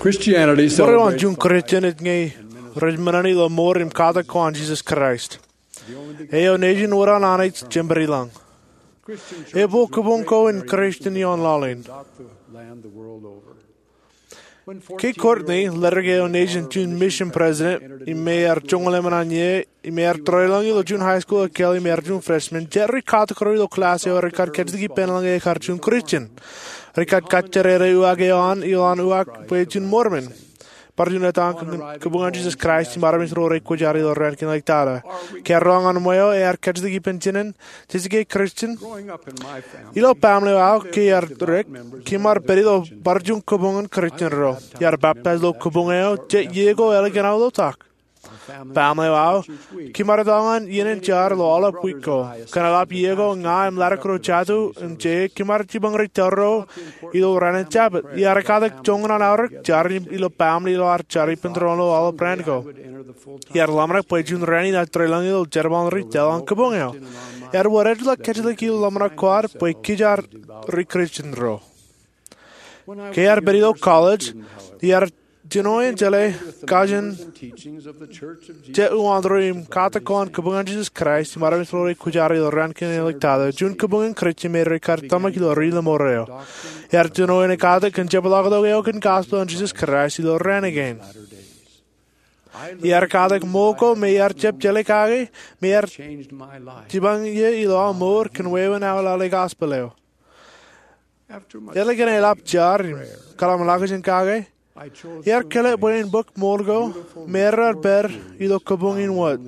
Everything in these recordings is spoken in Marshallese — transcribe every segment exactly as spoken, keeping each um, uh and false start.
Ṃōrā juon Kūrjin ej ñe rej men in ilo mour im katak ko an Jisōs Kraist, eo nejin wōt an Anij Jemedwōj. Epād kōbuñ ko in Kūrjin ioon laḷ in. Ke Kortni, ledik eo nejin juon mission president, im ear joñan ḷōmṇak ie, im ear tōre lōñ ilo juon high school ekkā im ear juon freshman, jet ri katak ro ilo class eo rekar kajjitōk ippān ḷōñ ekar juon Kūrjin. Rekar kajjitōk uwaak eo an, ilo an uwaak bwe juon Mormon, bar juon ettā kōn kōbuñ an Jisōs Kraist im armej ro rej kwōjarjar ilo raan kein ḷọk tata. Ke ear roñ an ṃweo, ear kajjitōk ippān jinen, jej ke Kūrjin? Ilo baaṃle eo aō, ke ear dik, kōm ar pād ilo bar juon kōbuñ in Kūrjin ro. Iar baptize ilo kōbuñ eo jet iiō ko ālikin aō ḷotak. Baaṃle eo aō, kōm ar etal ñan iien in jar ilo aolep wiik ko. Kōn eḷap iiō ko, ña im ḷadik ro jatū im je, kōm ar jipañ ri tōl ro ilo raan in Jabōt. Iar katak joñan an aorōk jar ilo baaṃle ilo ad jar ippān tōre ilo aolep raan ko. Iar ḷōmṇak bwe juon raan in ad tōre lōñ ilo jerbal in ri tōl an kōbuñ eo. Ear wōr ej ḷọk kajjitōk ilo ḷōmṇak ko ad bwe kōj ar ri Kūrjin ro. Ke ear pād ilo college, iar jino in jeḷā kajin jet uwaak ro im katak ko an kōbuñ an Jisōs Kraist im armej ro rej kwōjarjar ilo raan kein ḷọk tata, juon kōbuñ in Kūrjin me rekar tōmak ilo ri lōṃor eo. Ear jino in ekatak kōn jepḷaaktok eo kōn gospel an Jisōs Kraist ilo raan kein. Iar katak ṃool ko me iar jab jeḷā kake, im ear jipañ ie ilo aō mour kōn wāween aō lale gospel eo. Ālikin eḷap jar im kōḷmānḷọkjeṇ kake, iar kile bwe in bōk ṃool ko me ear pād ilo kōbuñ in wōt.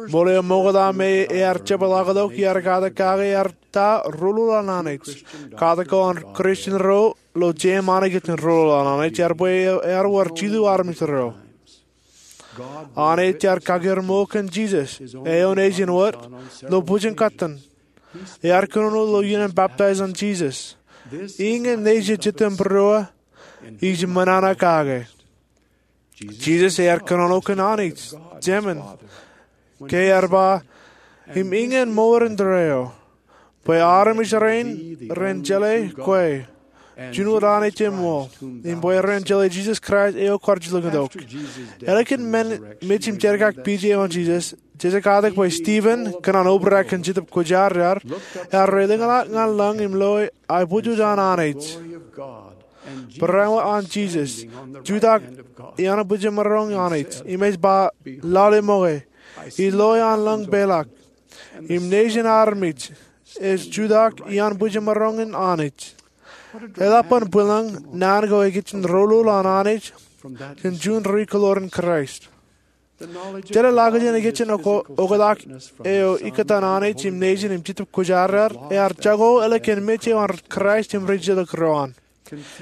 Ṃool eo ṃokta me ear jepḷaaktok iar katak kake ear ta rōlul an Anij. Katak ko an Kūrjin ro ilo jeṃḷọkin rōlul an Anij ear bwe ear wōr jilu armej ro. Anij ear kakeer ṃool kōn Jisōs, eo nejin wōt, ilo bwijin kōttan. Ear kōnono ilo iien in baptize an Jisōs. Iñin nejin Jetōnbōrō ij ṃōṇōṇō kake. Jisōs ear kōnono kōn Anij Jemān, ke ear ba, im iñin mour in tōre eo, bwe armej rein ren jeḷā kwe, juon wōt Anij eṃṃool, im bwe ren jeḷā Jisōs Kraist eo kwaar jilkintok. Ālikin men mej im jerkakpeje eo an Jisōs, jej katak bwe Stephen, kōn an obrak kōn Jetōb Kwōjarjar, ear lōḷñḷọk ñan lōñ im loe aebōjoj an Anij, barāinwōt an Jisōs, jutak iaan bwijemaroñ an Anij, im ej ba, lale ṃoke, ij loe an lōñ peḷọk, im nejin armej ej jutak iaan bwijemaroñ in Anij. Eḷap an bwilōñ naan ko ekijjeen rōlul an Anij kōn juon ri-kōḷoor in Kraist. Jeḷā ḷọkjeṇ ekijjeen oktak eo ikkōtaan Anij im nejin im Jetōb Kwōjarjar ear jako ālikin mej eo an Kraist im ri-jilkintok ro an.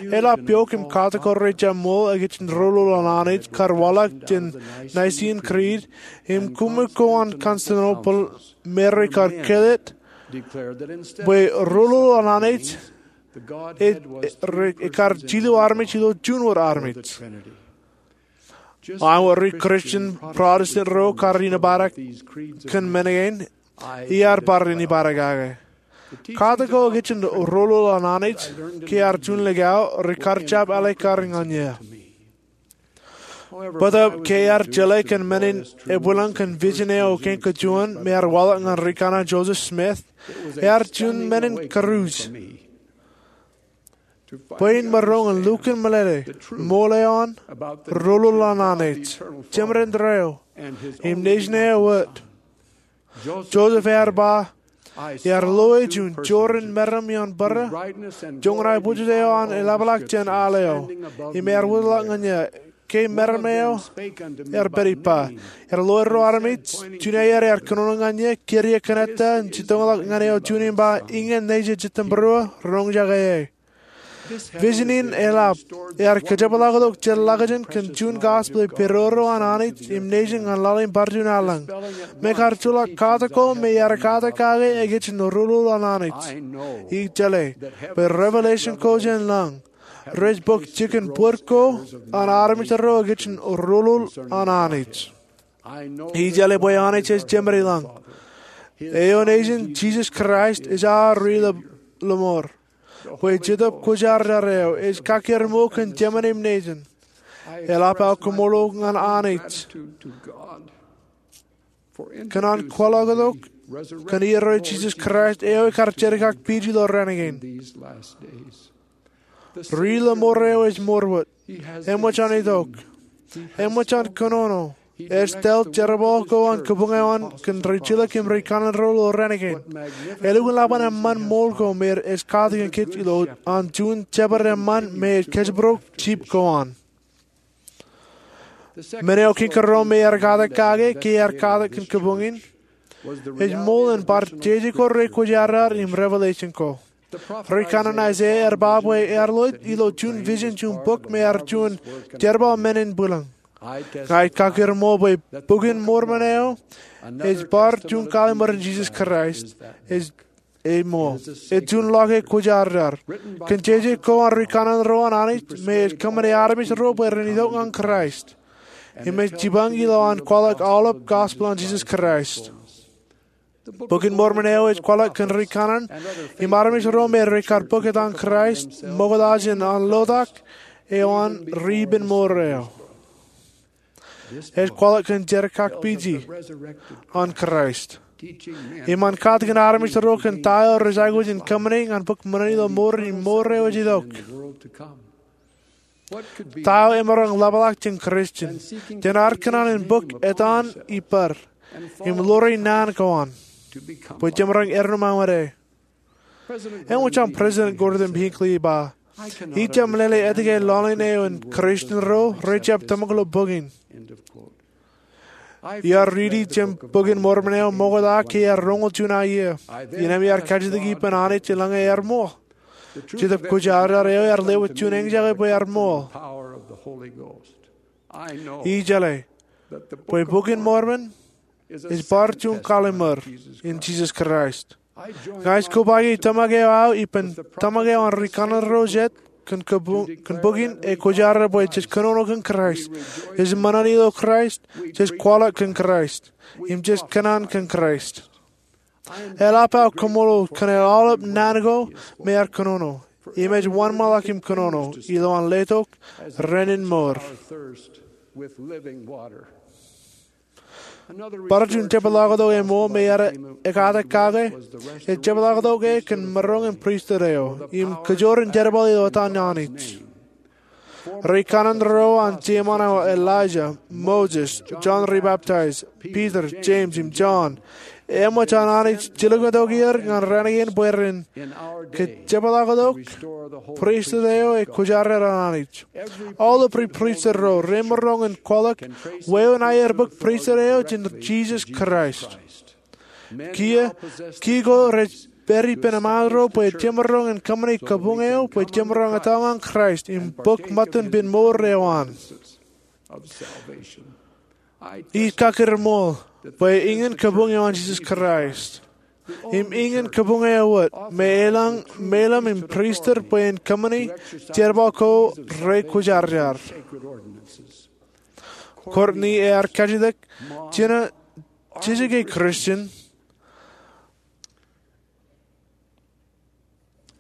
Eḷap yook im katak ko rej jab ṃool ekijjeen rōlul an Anij kar waḷọk jān Nicene Creed im koṃṃool ko an Constantinople me rekar kōḷḷā bwe rōlul an Anij ekar jilu armej ilo juon wōt armej. Ak wōt ri-Kūrjin Protestant ro kar inepata kōn men kein, iar bar inepata kake. Katak ko ekijjeen rōlul an Anij, ke ear juon likao, rekar jab ālikin ñan eō. Bōtab ke ear jeḷā kōn men in ebwilōñ kōn vision eo kein kajuon me ear waḷọk ñan ri-kaṇe Joseph Smith, ear juon men in kūruj bwe in maroñ in lukkuun meḷeḷe ṃool eo an rōlul an Anij, Jemān in tōre eo, im nejin eo wōt. Joseph ear ba, ear loe juon jorrāān meram ioon bōrā, joñan aebōjoj eo an eḷapḷọk jān al eo, im ear wōtlọk ñan eō, ke meram eo ear pād ippa. Ear loe ro armej, juon aer ear kōnono ñan eō, kiiō kōn ettā, im jitōñḷọk ñan eō juon im ba, iñin nejin Jetōnbōrō, roñjake e. Vision in eḷap, ear kajepḷaaktok jet ḷọkjeṇ kōn juon gospel eo pedodo an Anij im nejin ñan laḷ in bar juon allōñ. Me kar joḷọk katak ko me ear katak kake ekijjeen rōlul an Anij. Ij jeḷā bwe revelation ko jān lañ rej bōk jikin bōd ko an armej ro ekijjeen rōlul an Anij. Ij jeḷā bwe Anij ej Jemān in lañ. Eo nejin Jisōs Kraist ej aō ri lōṃor. bwe Jetōb Kwōjarjar eo ej kakkere ṃool kōn jemān im nejin. Eḷap aō koṃṃool ñan Anij kōn an kwaḷọk tok kōn iiō eo Jisōs Kraist eo ekar jerkakpij ilo raan kein. Ri ḷōṃoor eo ej ṃoorwōt. Eṃōj an itok. Eṃōj an kōnono. Ej tōl jerbal ko an kabuñ eo an kōn rijilōk im ri kanaan ro ilo raan kein. Elukkuun ḷap an eṃṃan ṃool ko me ej katak kōj ilo an juon jabdewōt eṃṃan me ej kōjparok jip ko an. Men eo kiiñ kōrā me ear katak kake ke ear katak kōn kabuñ in ej ṃool in bar jeje ko rej kwōjarjar im revelation ko. Ri kanaan Aiseia ear ba bwe ear loe ilo juon vision juon bok me ear juon jerbal men in bwilōñ. Ña ij kakkere ṃool bwe Bok in Mormon eo ej bar juon kallimur in Jisōs Kraist ej ṃool. Ej juon ḷọk e kwōjarjar kōn jeje ko an ri kanaan ro an Anij me ej kōṃṃane armej ro bwe ren itok ñan Kraist im ej jipañ ilo an kwaḷọk aolep gospel an Jisōs Kraist. Bok in Mormon eo ej kwaḷọk kōn ri kanaan im armej ro me rekar bōk etan Kraist ṃokta jān an lotak eo an ri ippān mour eo. Ej kwaḷọk kōn jerkakpije an Kraist im an katakin armej ro kōn ta eo rej aikuj in kōṃṃane ñan bōk ṃōṇōṇō ilo mour im mour eo ej itok. Ta eo emaroñ ḷapḷọk jān Christian jān ad kōṇaan in bōk etan ippād im ḷoore naan ko an bwe jemaroñ eddo ṃōñā ṃōde? Eṃōj an President Gordon B. Hinckley ej ba, ij jab meḷeḷe etke lọñiin eo in Christian ro rej jab tōmak ilo bok in. Iar riiti jān Bok in Mormon eo ṃokta ke ear roñoul juon aō iiō. Innem iar kajjitōk ippān Anij eḷaññe ear ṃool. Jetōb Kwōjarjar eo ear lewōj juon eñjake bwe ear ṃool. Ij jeḷā bwe Bok in Mormon ej bar juon kallimur in Jisōs Kraist. Ña ij kobaiki tōmak eo aō ippān tōmak eo an ri kanaan ro jet kōn bok in e kwōjarjar bwe jej kōnono kōn Kraist, jej ṃōṇōṇō ilo Kraist, jej kwaḷọk kōn Kraist im jej kōṇaan kōn Kraist. Eḷap aō koṃṃool kōn aolep naan ko me ear kōnono im ej wōnṃaanḷọk im kōnono ilo an letok renin mour. Bar juon jepḷaaktok eo ṃool me ear ekatak kake ej jepḷaaktok e kōn maroñ in pristut eo im kōjro in jerbal ilo etan Anij. Ri kanaan ro an jeṃaan aō Elijah, Moses, John ri Baptist, Peter, James im John, eṃōj an Anij jilkintok er ñan raan kein bwe ren kajepḷaaktok pristut eo e kwōjarjar an Anij. Aolep ri pristut ro remaroñ in kwaḷọk wāween aer bōk pristut eo jān Jisōs Kraist. Kiiō, kiiō ko rej pād ippān eṃṃaan ro bwe jemaroñ in kōṃṃane kabuñ eo bwe jemaroñ etal ñan Kraist im bōk ṃōttan ippān mour eo an. Ij kakkure ṃool bwe iñin kabuñ eo an Jisōs Kraist im iñin kabuñ eo wōt me elōñ meilōm im pristut bwe en kōṃṃane jerbal ko rej kwōjarjar. Courtney ear kajjitōk, Jina, jejjake Christian.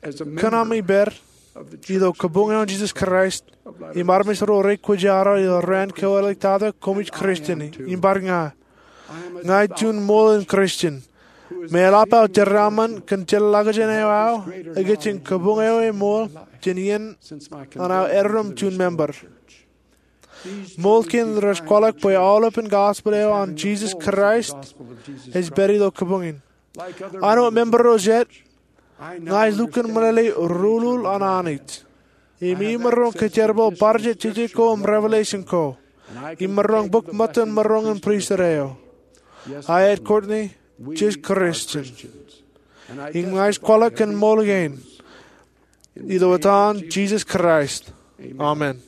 Kōn ami pād ilo kabuñ eo an Jisōs Kraist im armej ro rej kwōjarjar ilo raan keweḷḷāik tata, koṃij Christian im bar ña. Ña ij juon ṃool in Christian me eḷap aō jeraaṃṃan kōn jeḷāḷọkjeṇ eo aō ikijjien kabuñ eo eṃool jān iien an aō eddo im juon member. Ṃool kein rej kwaḷọk bwe aolepān gospel eo an Jisōs Kraist ej pād ilo kabuñ in. Āinwōt member ro jet, ña ij lukkuun meḷeḷe rūlul an Anij im imaroñ kōjerbal bar jet jeje ko im revelation ko im maroñ bōk ṃōttan maroñ in pristut eo. Aet, Courtney, jej Christian im ña ij kwaḷọk kōn ṃool kein ilo etan Jisōs Kraist, amen.